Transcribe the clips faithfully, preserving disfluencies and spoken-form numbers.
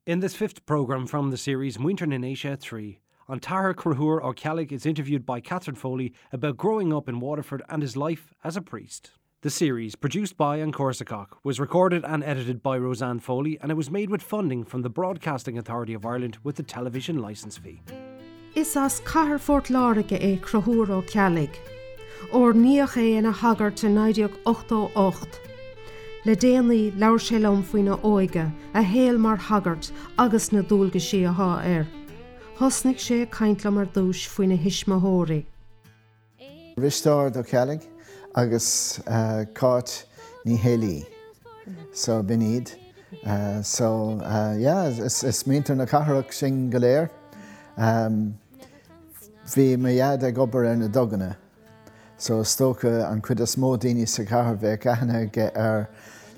In this fifth programme from the series Muintir na nDéise three, an tAthair Conchúr Ó Ceallaigh is interviewed by Catherine Foley about growing up in Waterford and his life as a priest. The series, produced by An Córsacach, was recorded and edited by Roseanne Foley and it was made with funding from the Broadcasting Authority of Ireland with the television licence fee. Is as Cathair Phort Láirge é Conchúr Ó Ceallaigh. Ordaíodh é ina shagart i naoi déag ochtó ocht. Le déanaí labhair sé liom faoina óige, a shaol mar shagart agus na dualgaisí atá air. Thosnaigh sé ag caint liom ar dtús faoina thuismitheoirí. Risteárd Ó Ceallaigh agus uh, Cáit Ní Héalaí. So b'in iad. Uh, so uh, yeah, is, is muintir na cathrach sinn go léir. Um, bhí mo dhaid ag obair ar na duganna. So is dócha an chuid is mó daoine sa chathair bheith aithne aige ar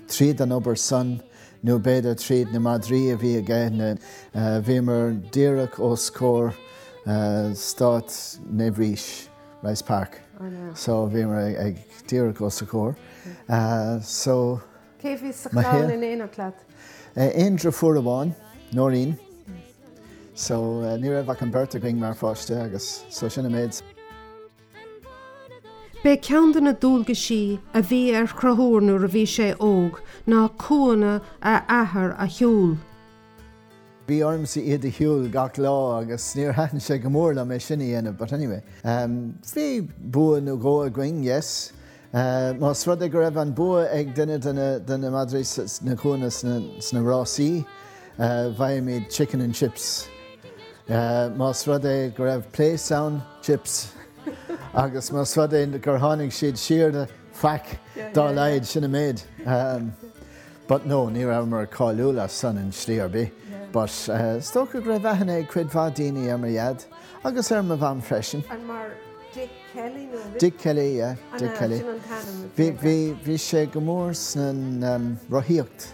tríd an obair san nó b'fhéidir tríd na madraí a bhí aige na uh, bhíomar díreach os comhair uh, Stát Naomh Rís, Rice Park. So bhíomar ag, ag díreach os a chomhair. Uh, so Cé bhí sa Ma chlann hé. in éineacht leat? uh, aon deirfiúr amháin, Nóirín. So uh, ní raibh ach an bheirt againn mar pháiste agus so sin an méid. B'é ceann de na dualgaisí a bhí ar Chonchúr nuair a bhí sé óg ná cúnna a athar a shiúl. Bhí ormsa iad a shiúl gach lá agus níor thaitin sé go mór liom é sin a dhéanamh, but anyway. Um, bhí bua nó dhó againn, yes. Uh, Más rud é go raibh an bua ag duine de na, de na madraí na cúnna sna, sna rásaí, uh, bhfaighimid chicken and chips. Uh, Más rud é go raibh place ann, chips. Agus más rud é gur tháinig siad siar de faic dá laghad sin an méid. Um, but no, ní rabhamar cáiliúil as san in slí ar bith. But uh, is dócha go raibh aithne ag cuid mhaith daoine ar mo dhaid agus ar mo mham freisin. An mar Dick Kelly nó Dick Kelly, yeah, Dick Kelly. Bhí bhí bhí sé go mór san um, rothaíocht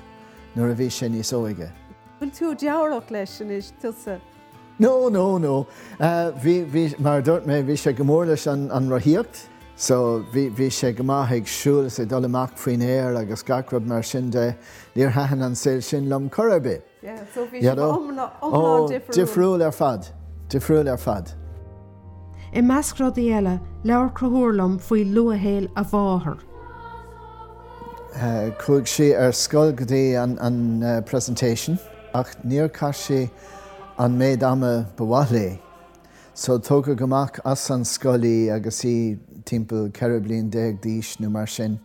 nuair a bhí sé níos óige. Bhfuil tú deabhrach leis anois tusa. No, no, no. Uh, bhí, bhí, mar dúirt mé bhí sé go mór leis an, an rothaíocht, so bhí, bhí sé go maith ag siúl is ag dul amach faoin aer agus gach rud mar sin de níor thaitin an saol sin liom chor ar bith. Yeah, so bhí You know? iomlán difriúil ar fad, difriúil ar fad. I measc rudaí eile labhair Conchúr liom faoi luathshaol a mháthar. Uh, Chuaigh sí ar scoil go dtí an, an uh, presentation ach níor chaith sí an méid ama ba mhaith léi. So tógadh amach as an scoil í agus í timpeall ceithre bliana déag d'aois nó mar sin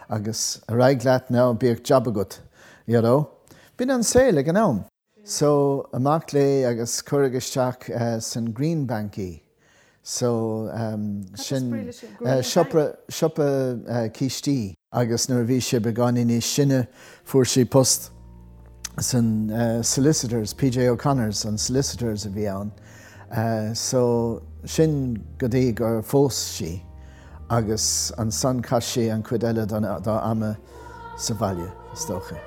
agus ar aghaidh leat ná bíodh job agat, you know. B'in an saol ag an am. So amach léi agus cuireadh isteach uh, san Green Bank í. So um, sin uh, siopa siopa uh, cístí agus nuair a bhí sé beagáinín níos sine fuair sí post san uh, solicitors, PJ O'Connors an solicitors a bhí ann. Uh, so sin go dtí gur phós sí agus ansan chaith sí an chuid eile dá ama sa bhaile is dócha.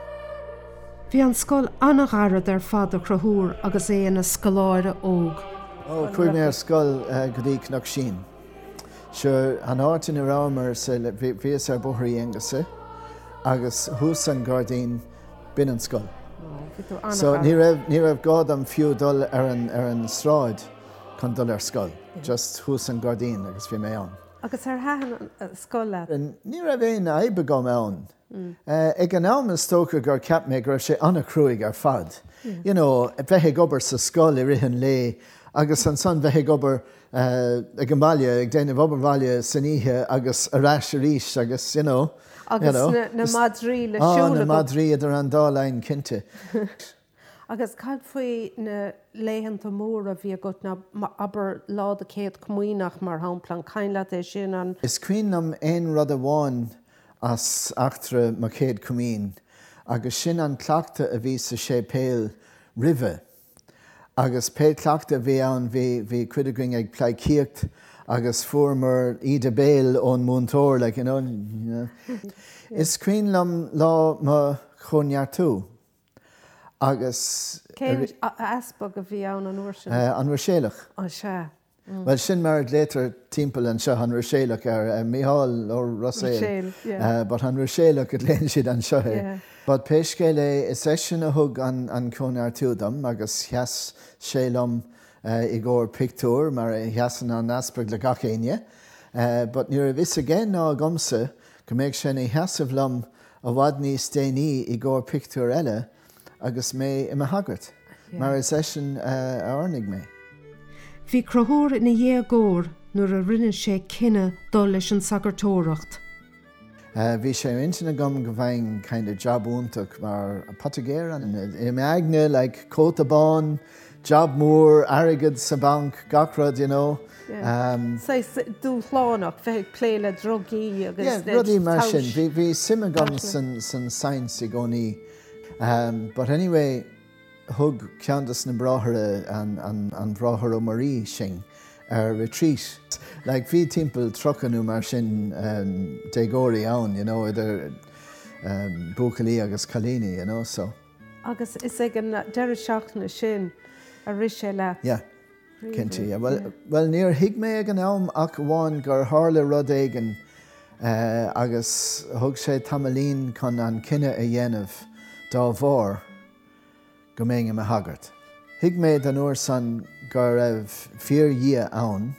Bhí an scoil an-ghairid ar fad do Chonchúr agus é ina scoláire óg. Ó chuaigh mé ar scoil uh, go dtí Cnoc Sín. Sure an áit ina rabhamar bhíos ar Bhóthar Uí Aonghusa agus thuas an gairdín b'in an scoil. So ní raibh ní raibh gá dom fiú dul ar an ar an sráid chun dul ar scoil, just thuas an gairdín agus bhí mé ann. Agus ar thaitin an scoil leat. Ní raibh aon fhadhb agam ann. Uh, ag an am is dócha gur cheap mé go raibh sé an-chruaidh ar fad. You know, bheith ag obair sa scoil i rith an lae agus ansan bheith ag obair uh, ag an mbaile ag déanamh obair bhaile san oíche agus ar ais arís agus you know, Agus you know, na, na madraí le Ah, siúl na madraí idir an dá linn cinnte. Agus cad faoi na laethanta móra a bhí agat na abair lá do chéad comaoineach mar shampla an cuimhin leat é sin an Is cuimhin liom aon rud amháin as eachtra mo chéad chomaoin, agus sin an cleachtadh a bhí sa séipéal roimhe. Agus pé cleachtadh a bhí ann bhí bhí cuid againn ag pleidhcíocht agus fuaireamar íde béil ón múinteoir like, you know, you know. Is cuimhin liom lá mo chóineartú. Agus Cén easpag a bhí ann an uair sin uh, an Ruiséalach. Ó sea. Well sin mar a glaoitear timpeall anseo an Ruiséalach ar Micheál Ó Ruiséil, but an Ruiséalach a ghlaonn siad anseo é. But pé scéal é is eisean a thug an an cóineartú dom agus sheas sé liom i gcomhair pictiúr mar a sheasann an easpag le gach éinne. But ní raibh fhios aige ná agamsa go mbeadh sé ina sheasamh liom i bhfad níos déanaí i gcomhair pictiúr eile agus mé i mo shagart, mar is eisean a oirnigh mé. Bhí Conchúr ina dhéagóir nuair a rinne sé cinneadh dul leis an sagartóireacht. Bhí sé ar intinn agam go bhfaighinn kind of job iontach mar poitigéir i m'aigne like cóta bán, job mór, airgead sa banc, gach rud you know. Saghas dúshlánach bheith ag plé le drugaí agus Yeah, rudaí mar sin. Bhí bhí suim agam san san science i gcónaí. But anyway, thug ceann de na bráithre an, an, an Bráthair Ó Muirí sinn ar retreat. Like bhí timpeall tríocha nó mar sin um, déagóirí ann, you know, idir um, buachaillí agus cailíní, you know, so. Agus is ag an deireadh seachtaine sin a rith sé leat. Yeah. Cinnte, yeah. Well, well níor thuig mé ag an am ach amháin gur tharla rud éigin uh, agus thug sé tamaillín chun an cinneadh a dhéanamh dá bharr go mbeinn i mo shagart. Thuig mé den uair san go raibh fíor-Dhia ann,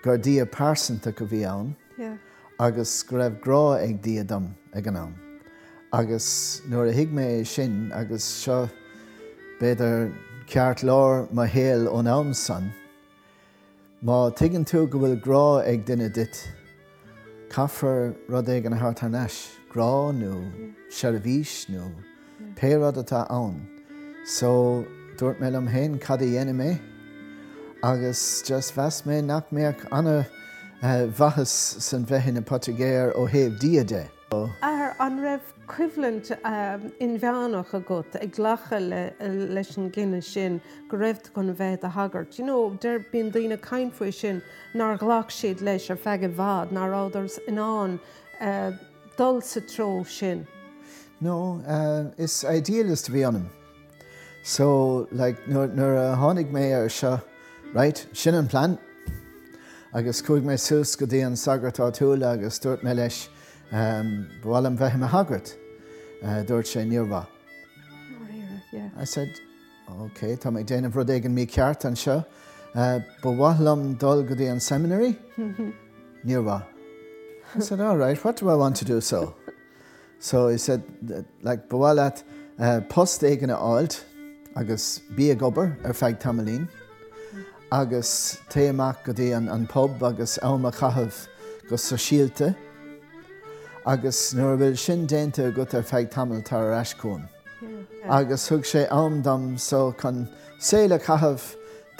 gur Dia pearsanta a bhí ann, Yeah. agus go raibh grá ag Dia dom ag an am. Agus nuair a thuig mé sin agus seo b'fhéidir ceartlár mo shaoil ón am san, má tuigeann tú go bhfuil grá ag duine duit, caithfear rud éigin a thabhairt thar n-ais, grá nó seirbhís nó pé rud atá ann. So dúirt mé liom féin cad a dhéanfaidh mé, agus just mheas mé nach mbeadh ana uh, mhaitheas san bheith ina poitigéir ó thaobh Dia de. Athair an raibh coimhlint um, inmheánach agat ag glacadh le, leis an gcinneadh sin go raibh tú chun bheith i do shagart. You know, deir bíonn daoine ag caint faoi sin nár ghlac siad leis ar feadh i bhfad, nach rabhadar in ann uh, dul sa treo sin. No, uh, is idealist a bhí ionam. So like, nuair, nuair a tháinig mé ar seo, right, sin an plan. Agus chuaigh mé suas go dtí an sagart áitiúil agus dúirt mé leis um, ba mhaith liom bheith i mo shagart. Uh, dúirt sé níor mhaith. Yeah. I said, okay, tá mé ag déanamh rud éigin mícheart anseo. Uh, ba mhaith liom dul go dtí an seminary? Níor mhaith. I said, all right, what do I want to do so? So he said, like, ba mhaith leat uh, post éigin a fháilt agus bí ag obair ar feadh tamaillín, agus téigh amach go dtí an, an pub agus am a chaitheamh go sóisialta, agus nuair a bhfuil sin déanta agat ar feadh tamaill tar ar ais chugam. Agus thug sé am dom so chun saol a chaitheamh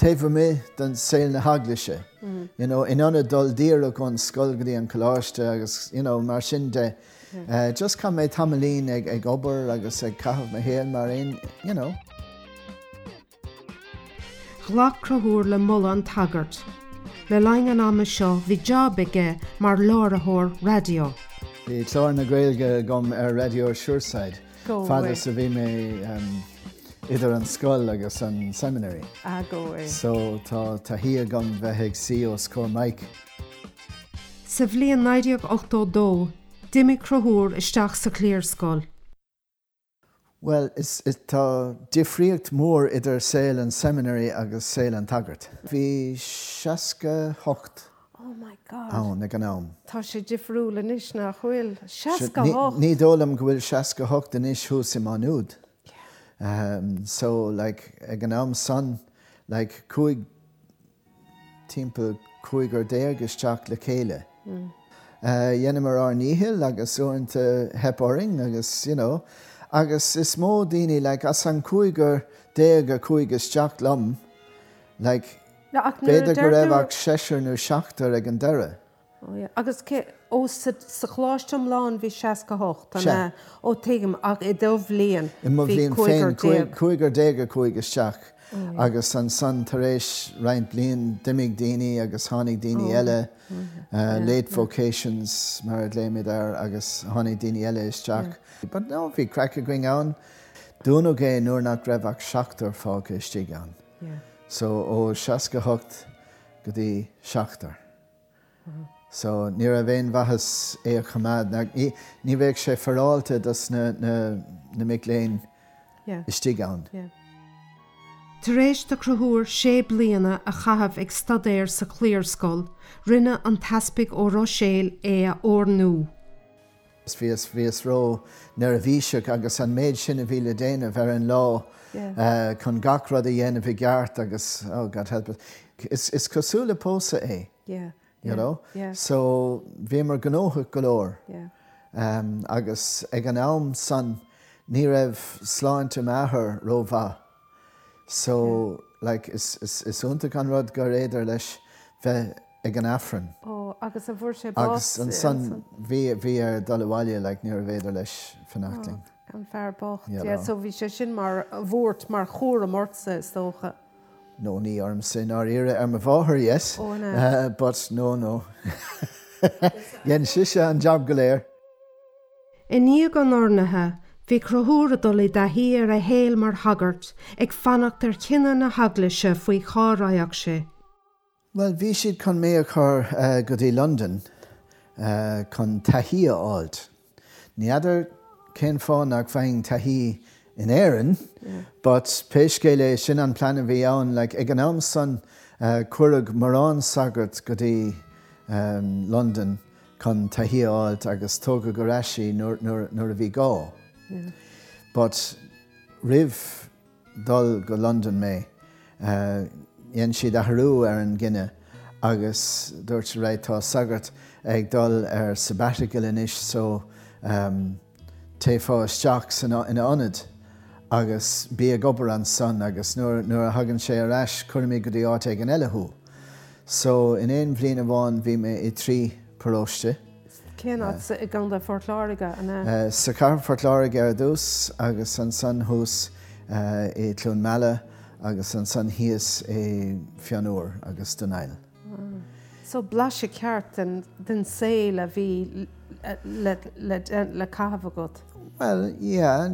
taobh amuigh den saol na heaglaise. Mm. You know, in ionad dul díreach ón scoil go dtí an coláiste agus you know, mar sin de. Uh, just chaith mé tamaillín ag, ag obair agus ag caitheamh mo shaol mar aon, you know. Ghlac Conchúr le moladh an tsagairt. Le linn an ama seo bhí job aige mar láithreoir raidió. Bhí clár na Gaeilge agam ar Radio Suirside. Go Fad way. is a bhí mé um, idir an scoil agus an seminary. Ah, go way. So tá taithí agam bheith ag suí os comhair mic. Sa bhliain naoi déag ochtó dó, d'imigh Conchúr isteach sa chliarscoil. Well, is, is tá difríocht mór idir saol an seminary agus saol an tsagairt. Bhí seasca hocht Oh my God. ann ag an am. Tá sé difriúil anois nach bhfuil. Seasca Ní hocht. ní dóigh liom go bhfuil seasca hocht anois thuas i Má Nuad. Um, so like, ag an am san like, chuaigh timpeall cúigear déag isteach le chéile. Mm. Uh, Dheineamar ár ndícheall agus uaireanta theip orainn agus you know, agus is mó daoine like, as an cúigear déag a chuaigh isteach liom, like, No, ach nuair a b'fhéidir go raibh deir tú- ach seisear nó seachtar ag an deireadh. Oh, yeah. Agus cé ó sa sa choláiste iomlán bhí seasca hocht Sea. an ó tuigim ach i do bhliain I mo bhí bhliain cúigear féin cúig- déag. cúigear déag a chuaigh isteach agus ansan tar éis roinnt bliain d'imigh daoine agus tháinig daoine eile uh, late vocations mar a glaoimid air agus tháinig daoine eile isteach. But no, bhí craic againn ann. Dúnadh é nuair nach raibh ach seachtar fágtha istigh ann. Yeah. So ó seasca hocht go dtí seachtar. So ní raibh aon mhaitheas é a choimeád, ní, ní bheadh sé féaráilte dos na, na, na mic léinn Yeah. istigh ann. Yeah. Tar éis do Chonchúr sé bliana a chaitheamh ag staidéar sa chliarscoil, rinne an tEaspag Ó Ruiséil é a oirniú. Bhíos bhíos ró-neirbhíseach agus an méid sin a bhí le déanamh ar an lá Yeah. uh, chun gach rud a dhéanamh i gceart agus oh God help us. Is, is cosúil le pósadh é, Yeah. you know? Yeah. So bhíomar gnóthach go leor. Yeah. Um, agus ag an am san ní raibh sláinte m'athar rómhaith. So like, is, is, is iontach an rud gur féidir leis bheith ag an Aifreann. Ó agus a bhfuair sé bás Agus ansan bhí bhí air dul abhaile like, ní féidir leis fanacht linn. An fear bocht. Yeah, Yeah, no. so bhí sé sin mar bhuairt mar chúram ortsa is dócha. No ní ormsa ná iarra ar mo mháthair yes, Ó, no. uh, but no no. Dhein sise an job go léir. I ndiaidh an oirnithe, bhí Conchúr ag dul i dtaithí ar a shaol mar shagart ag fanacht ar chinneadh na heaglaise faoi cá raghadh sé. Well, bhí siad chun mé a chur uh, go dtí London uh, chun taithí a fháilt. Ní fheadar cén fáth nach bhfaighinn taithí in Éirinn, Yeah. but pé scéal é sin an plean a bhí ann, like, ag an am san uh, cuireadh mórán sagart go dtí um, London chun taithí a fháilt agus tógadh ar ais nuair, nuair, nuair a bhí gá. Yeah. But roimh dul go London mé, uh, dhein siad athrú ar an gcinneadh agus dúirt right tá sagart ag dul ar sabbatical anois so um, téifá isteach san ina ionad agus bí ag obair ansan agus nuair, nuair a thagann sé ar ais cuirfimid go dtí áit éigin eile thú. So in aon bhliain amháin bhí mé i trí paróiste. Cén áit i gContae Phort Láirge an ea? Uh, sa chathair Phort Láirge ar dtús agus ansan thuas uh, i Cluain Meala agus ansan thíos i Fionn Úr agus Dún Aill. So blaiseadh ceart den, den saol a bhí le, le, le caitheamh agat. Well, yeah,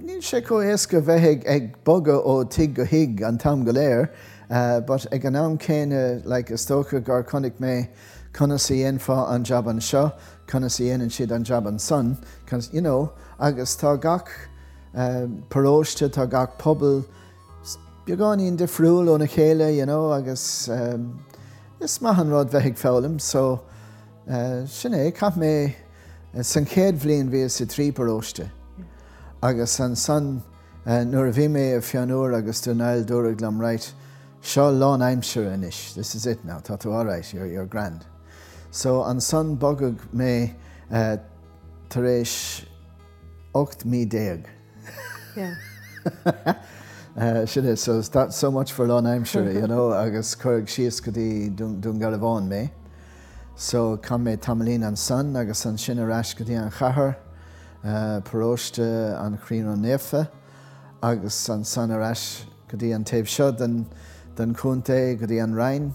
níl sé chomh éasca bheith ag, ag bogadh ó tigh go tigh an t-am go léir, uh, but ag an am céanna like, is dócha gur chonaic mé conas a dhéanfá an job anseo, conas a dhéanann siad an job ansan, conas, you know, agus tá gach uh, paróiste, tá gach pobal beagáinín difriúil óna chéile, you know, agus um, is maith an rud bheith ag foghlaim, so uh, sin é, chaith mé uh, san chéad bhliain bhíos i trí paróiste. Agus ansan uh, nuair a bhí mé i Fionn Úr agus Dún Aill dúradh liom right, seo lánaimseartha anois, this is it now, tá tú all right, you're, you're grand. So ansan bogadh mé uh, tar éis ocht mí déag. Yeah. Uh, sin é, so that's so much for lánaimseartha, you know, agus cuireadh síos go dtí Dún Garbhán mé. So chaith mé tamaillín ansan agus ansin ar ais go dtí an chathair, uh, paróiste an Chroí Ró-Naofa, agus ansan ar ais go dtí an taobh seo den, den chontae go dtí an Rinn.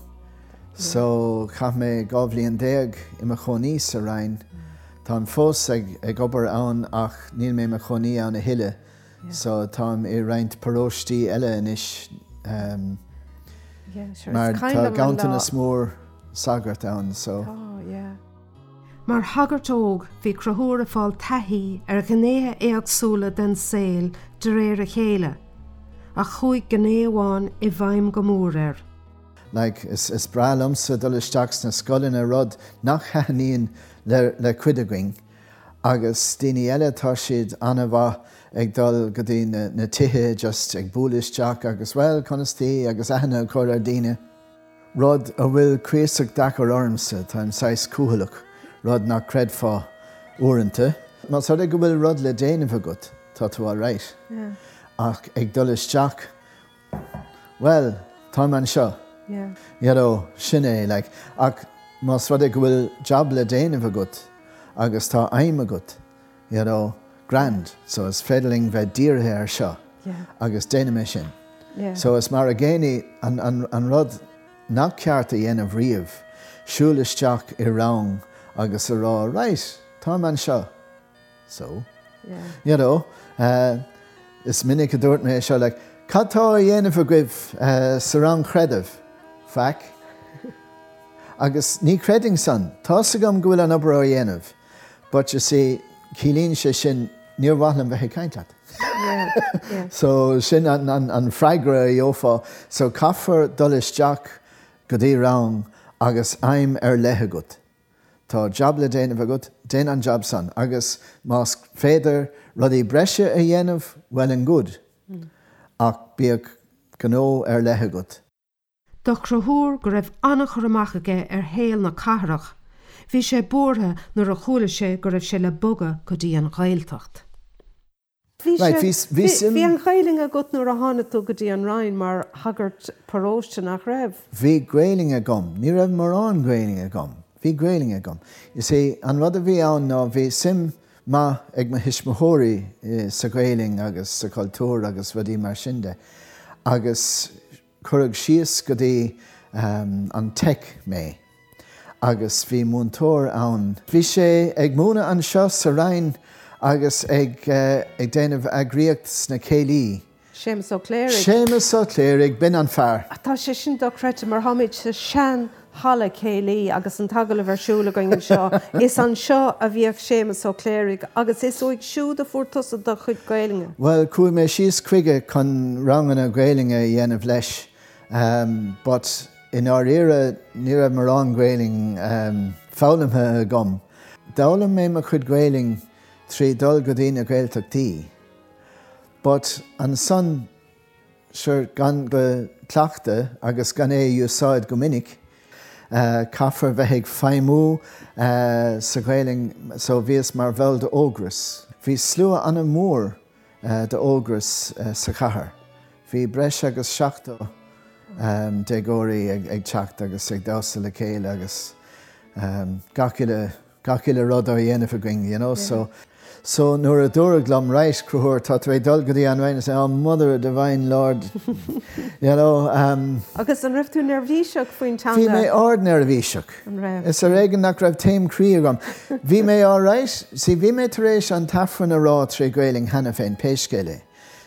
So chaith mé dhá bhliain déag i mo chónaí sa Rinn. Táim fós ag, ag obair ann ach níl mé mo chónaí ann a thuilleadh. So táim i roinnt paróistí eile anois um, Yeah, sure. mar It's kind tá of an ganntanas lá- mór sagart ann so. Oh, yeah. Mar shagart óg bhí Conchúr ag fáil taithí ar ghnéithe éagsúla den saol de réir a chéile, ach chuaigh gné amháin i bhfeidhm go mór air. Like, is, is breá liomsa dul isteach sna scoileanna rud nach thaitníonn le, le cuid againn. Agus daoine eile tá siad an-mhaith ag dul go dtí na, na tithe just ag bualadh isteach agus well conas tá agus aithne a chur ar daoine. Rud a bhfuil cuíosach deacair ormsa táim saghas cúthaileach, rud nach gcreidfeá uaireanta. Más rud é go bhfuil rud le déanamh agat, tá tú all right. Yeah. Ach ag dul isteach, well, táim anseo. Yeah. You know, sin é, like, ach más rud é go bhfuil job le déanamh agat agus tá aidhm agat, you know, grand, so is féidir linn bheith dírithe ar seo Yeah. agus déanfaidh mé sin. Yeah. So is mar a gcéanna an, an, an rud nach ceart a dhéanamh riamh, siúl isteach i rang agus a rá, right, táim anseo. So, Yeah. you know, uh, is minic a dúirt mé seo, like, cad tá á dhéanamh agaibh uh, sa rang creidimh? Faic. Agus ní chreidim san, Tá's agam go bhfuil an obair á dhéanamh, but you see, ciallaíonn sé sin níor mhaith liom bheith ag caint leat. Yeah, yeah. So sin an, an, an freagra a gheofá, so caithfear dul isteach go dtí rang agus aidhm ar leith agat. Tá jab le déanamh agat, déan an jab san, agus más féidir rudaí breise a dhéanamh well and good, mm. ach bíodh gnó ar leith agat. Do Chonchúr go raibh an-chur amach aige ar shaol na cathrach, bhí sé buartha nuair a chuala sé go raibh sé le bogadh go dtí an Ghaeltacht. Bhí bhí an Ghaeilge agat nuair a tháinig tú go dtí an Rinn mar shagart paróiste nach raibh. Bhí Gaeilge agam, ní raibh mórán Gaeilge agam, bhí Gaeilge agam. Is é an rud a bhí ann ná bhí suim maith ag mo thuismitheoirí sa Ghaeilge agus sa cultúr agus rudaí mar sin de. Agus cuireadh síos go dtí um, an Tech mé. Agus bhí múinteoir ann. Bhí sé ag múineadh anseo sa Rinn agus ag, uh, ag déanamh eagraíocht sna céilí. Séamus Ó Cléirigh. Séamus Ó Cléirigh b'in an fear. Tá sé sin dochreidte mar táimid sa sean halla céilí agus an t-agallamh ar siúl againn anseo. Is anseo a bhíodh Séamus Ó Cléirigh agus is uaidh siúd a fuair tusa do chuid Gaeilge. Well chuaigh mé síos chuige chun ranganna Gaeilge a dhéanamh leis, um, but i ndáiríre ní raibh mórán Gaeilge um, foghlamtha agam. D'fhoghlaim mé mo chuid Gaeilge trí dul go dtí na Gaeltachtaí. But ansan sure gan go cleachtadh agus gan é úsáid go minic, uh, caithfear bheith ag feidhmiú uh, sa Ghaeilge so bhíos mar bhall d'Ógras. Bhí slua an-mhór uh, d'Ógras uh, sa chathair. Bhí breis agus seachtó um, déagóirí ag, ag teacht agus ag damhsa le chéile agus um, gach uile gach uile rud á dhéanamh againn, you know, yeah. so So nuair a dúradh liom right Conchúr tá tú ag dul go dtí an Rinn oh mother divine Lord you know, um, Agus an raibh tú neirbhíseach faoin teanga? Bhí mé ard-neirbhíseach. Is ar éigean nach raibh taom croí agam. Bhí mé alright, sí bhí mé tar éis an t-aifreann a rá trí Ghaeilge cheana féin pé scéal é.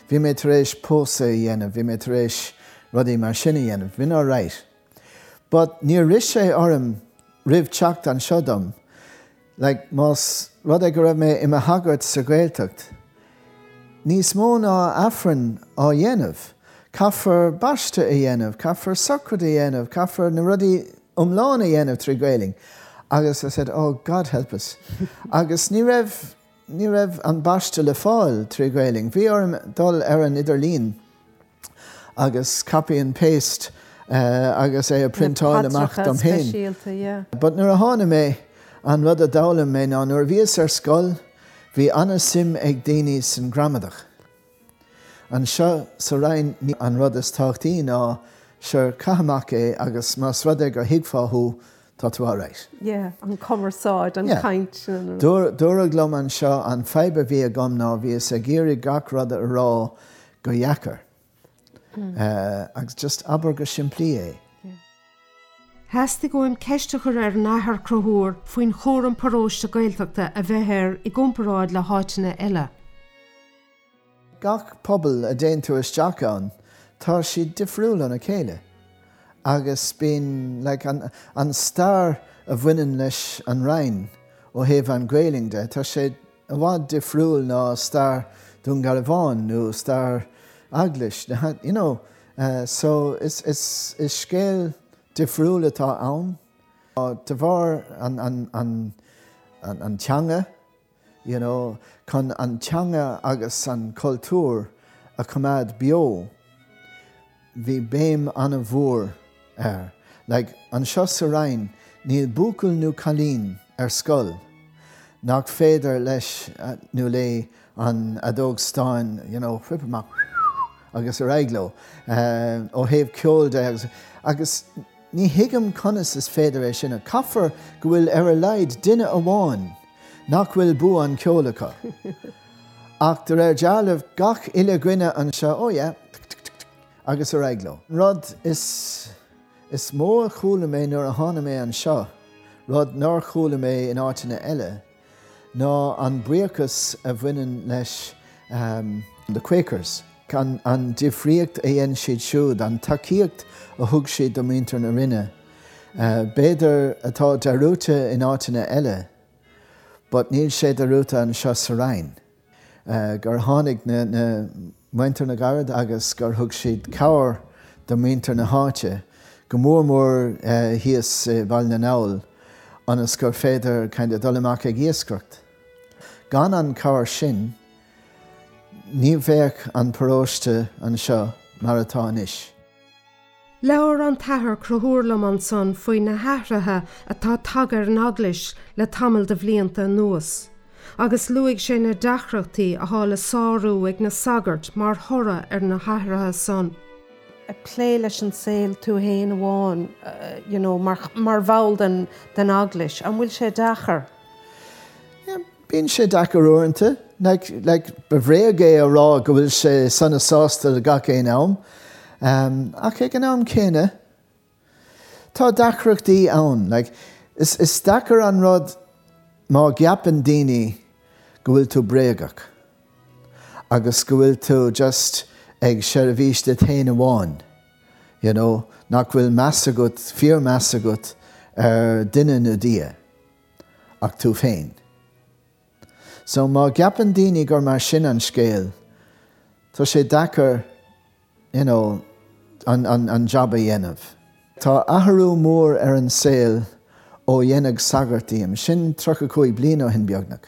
Bhí mé tar éis pósadh a dhéanamh, bhí mé tar éis rudaí mar sin a dhéanamh, bhí alright. But níor rith sé orm roimh teacht anseo dom, like, más rud é go raibh mé i mo shagart sa Ghaeltacht. Níos mó ná aifreann á dhéanamh, caithfear baisteadh a dhéanamh, caithfear socraid a dhéanamh, caithfear na rudaí iomlán a dhéanamh trí Ghaeilge. Agus I said, oh God help us. Agus ní raibh ní raibh an baisteadh le fáil trí Ghaeilge. Bhí orm dul ar an idirlíon agus copy and paste uh, agus é a printáil amach dom féin. But nuair a tháinig mé an rud a d'fhoghlaim mé ná nuair bhíos ar scoil, bhí an-suim ag daoine san gramadach. Anseo sa Rinn ní an rud is tábhachtaí ná sure caith amach é agus más rud é gur thuigfeá thú tá tú alright. Yeah, an cumarsáid, an Yeah. caint. Dúradh liom anseo an fadhb a bhí agam ná bhíos ag iarraidh gach rud a rá go deacair. Uh, agus just abair go simplí é. Theastaigh uaim ceist a chur ar an Athair Conchúr faoin chúram paróiste Gaeltachta a bheith air i gcomparáid le háiteanna eile. Gach pobal a dtéann tú isteach ann, tá siad difriúil óna chéile. Agus bíonn like, an, an stair a bhaineann leis an Rinn ó thaobh an Ghaeilge de, tá sé i bhfad difriúil ná stair Dún Garbhán nó stair Eaglais. You know, uh, so is, is, is scéal difriúil atá ann. De bharr an, an, an, an, an teanga, you know, chun an teanga agus an cultúr a choimeád beo, bhí béim an-mhór air. Like, anseo sa Rinn, níl buachaill nó cailín ar scoil, nach féidir leis uh, nó léi an fheadóg stáin, you know, whip amach agus ar aghaidh leo, uh, ó thaobh ceoil de agus, agus ní thuigim conas is féidir é sin a caithfear go bhfuil ar a laghad duine amháin nach bhfuil bua an ceoil acu. Ach de réir dealraimh gach uile dhuine anseo ó yeah, agus ar aghaidh leo. Rud is, is mó a chuala mé nuair a tháinig mé anseo, rud nár chuala mé in áiteanna eile, ná an buíochas a bhaineann leis um, the Quakers. An, an difríocht a dhein siad siúd, an tacaíocht a thug siad do mhuintir na Rinne. B'fhéidir atá dearúdta in áiteanna eile, but níl sé dearúdta anseo sa Rinn. Gur tháinig na, na muintir na gcarad agus gur thug siad cabhair do mhuintir na háite, go mór mór thíos i Baile na nGall, ionas gur féidir kind of dul amach ag iascaireacht. Gan an cabhair sin, ní bheadh an paróiste anseo mar atá anois. Labhair an tAthair Conchúr liom ansan faoi na hathruithe atá tagtha ar an eaglais le tamall de bhlianta anuas, agus luaigh sé na deacrachtaí atá le sárú ag na sagairt mar thoradh ar na hathruithe san. Ag plé leis an saol tú féin amháin uh, you know, mar, mar bhall den, den eaglais, an bhfuil sé deacair? Yeah, bíonn sé deacair uaireanta, like, like, ba bhréag é a rá go bhfuil sé sona sásta le gach aon am. Um, ach ag an am céanna, tá deacrachtaí ann. Like, is, is deacair an rud má cheapann daoine go bhfuil tú bréagach, agus go bhfuil tú just ag seirbhís duit féin amháin. You know, nach bhfuil meas agat, fíormheas agat ar duine nó Dia, ach tú féin. So má cheapann daoine gur mar sin an scéal, tá sé deacair you know, an, an, an job a dhéanamh. Tá athrú mór ar an saol ó dhéanadh sagart díom, sin tríocha cúig bliain ó shin beagnach.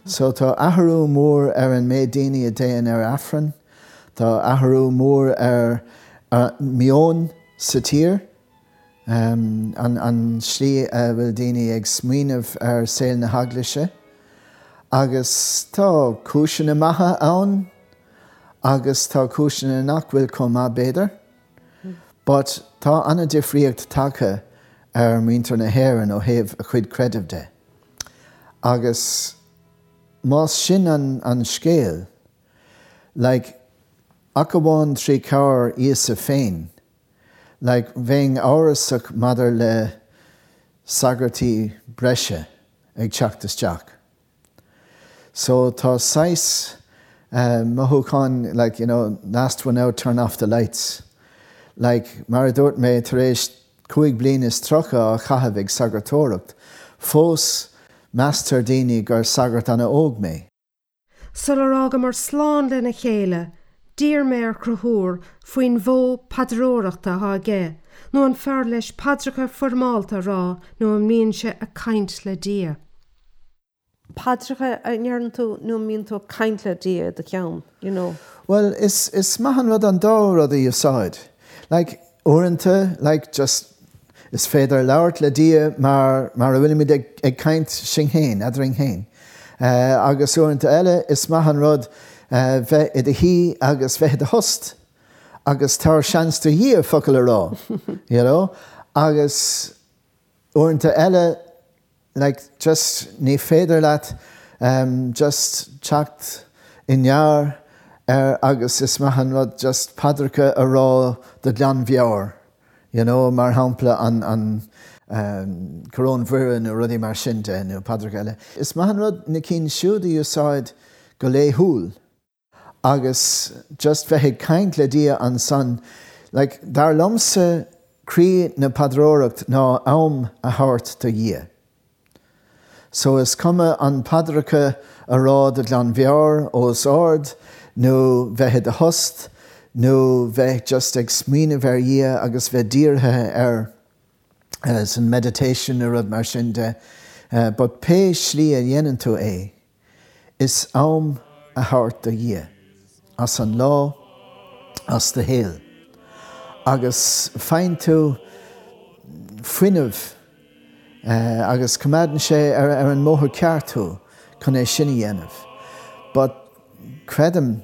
So tá athrú mór ar an méid daoine a théann ar Aifreann, Tá athrú mór ar, ar meon sa tír, um, an, an slí a bhfuil daoine ag smaoineamh ar saol na heaglaise, agus tá cúiseanna maithe ann agus tá cúiseanna nach bhfuil chomh maith b'fhéidir. But tá an-difríocht tagtha ar muintir na hÉireann ó thaobh a chuid creidimh de. Agus más sin an, an scéal, like, ach amháin trí chabhair Íosa féin, like, bheinn amhrasach maidir le sagartaí breise ag teacht isteach. So tá saghas uh, mothúchán like, you know, last one out, turn off the lights. Like, mar a dúirt mé tar éis cúig bliana is tríocha á chaitheamh ag sagartóireacht, fós meastar daoine gur sagart an-óg mé. Sular fhágamar slán lena chéile, d'iarr mé ar Chonchúr faoin mhodh paidreoireachta atá aige, nó an fearr leis paidreacha foirmeálta a rá nó an mbíonn sé ag caint le Dia. Paidreacha a ndeireann tú nó mbíonn tú caint le Dia do cheann, you know. Well, is, is maith an rud an dá rud a úsáid. Like, uaireanta, like, just, is féidir labhairt le Dia mar, mar a bhfuilimid ag, ag caint sinn féin, eadrainn féin. Uh, agus uaireanta eile is maith an rud uh, bheith i do shuí agus bheith i do thost. Agus tabhair seans do Dhia focal a rá, you know? Agus uaireanta eile, like, just ní féidir leat um, just teacht i ngearr ar agus is maith an rud just paidreacha a rá de ghlanmheabhair. You know, mar shampla an, an um, Coróin Mhuire nó rudaí mar sin de nó paidreacha eile. Is maith an rud na cinn siúd a úsáid go laethúil agus just bheith ag caint le Dia ansan, like, dar liomsa croí na paidreoireacht ná am a thabhairt do Dhia. So is cuma an paidreacha a rá de ghlanmheabhair os ard, nó bheith i do thost, nó bheith just ag smaoineamh ar Dhia agus bheith dírithe ar uh, san meditation nó rud mar sin de. Uh, but pé slí a dhéanann tú é, is am a thabhairt do Dhia, as an lá, as do shaol. Agus faigheann tú fuinneamh uh, agus coimeádann sé ar, ar an mbóthar ceart thú chun é sin a dhéanamh. But creidim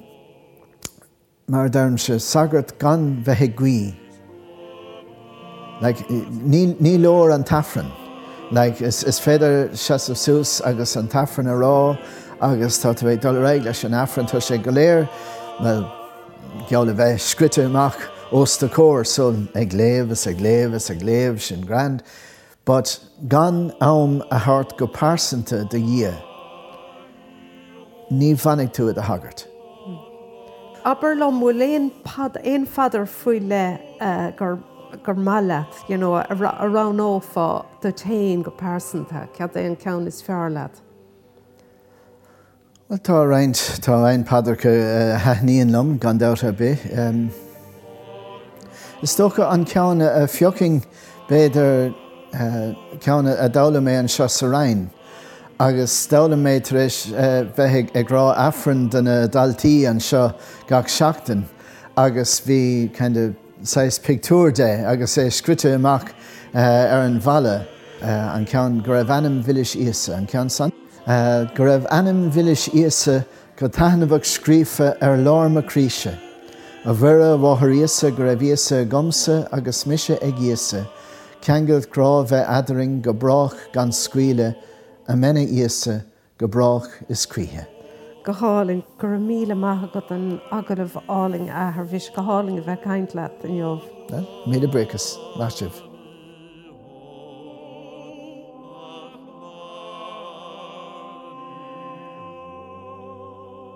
mar deirimse sagart gan bheith ag guí. Like, ní, ní leor an tAifreann. Like, is, is féidir seasamh suas agus an tAifreann a rá agus tá tú ag dul ar aghaidh leis an Aifreann tá sé go léir, well, geall le bheith scrite amach os do chomhair so ag léamh is ag léamh is ag léamh sin grand. But gan am a thabhairt go pearsanta do Dhia, ní bhfanfaidh tú i do shagart. Abair liom bhfuil aon pad aon phaidir faoi leith uh, gur gur maith leat, you know, a roghnófá duit féin go pearsanta, cad é an ceann is fearr leat. Well tá roinnt tá roinnt paidreacha a thaitníonn liom gan dabht ar bith. Um, is dócha an ceann a phiocfainn b'fhéidir uh, ceann a d'fhoghlaim mé anseo sa Rinn. agus d'fhoghlaim mé tar éis uh, bheith ag rá Aifreann do na daltaí anseo gach seachtain agus bhí kind of saghas pictiúr de agus é scríte amach uh, ar an bhalla uh, an ceann go raibh anam mhilis Íosa an ceann san. Uh, go raibh anam mhilis Íosa go taitneamhach scríofa ar lár mo chroíse. A Mhuire a mháthair Íosa go raibh Íosa agamsa agus mise ag Íosa, Ceangal grá bheith eadrainn go brách gan scaoileadh Amen a Íosa go brách is choíche. Go hálainn go raibh míle maith agat an agallamh álainn a Athair bhí sé go hálainn a bheith ag caint leat inniu. Míle buíochas maith sibh.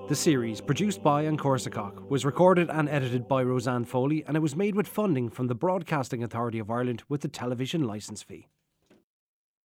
The series, produced by An Corsicoc, was recorded and edited by Roseanne Foley and it was made with funding from the Broadcasting Authority of Ireland with the television licence fee.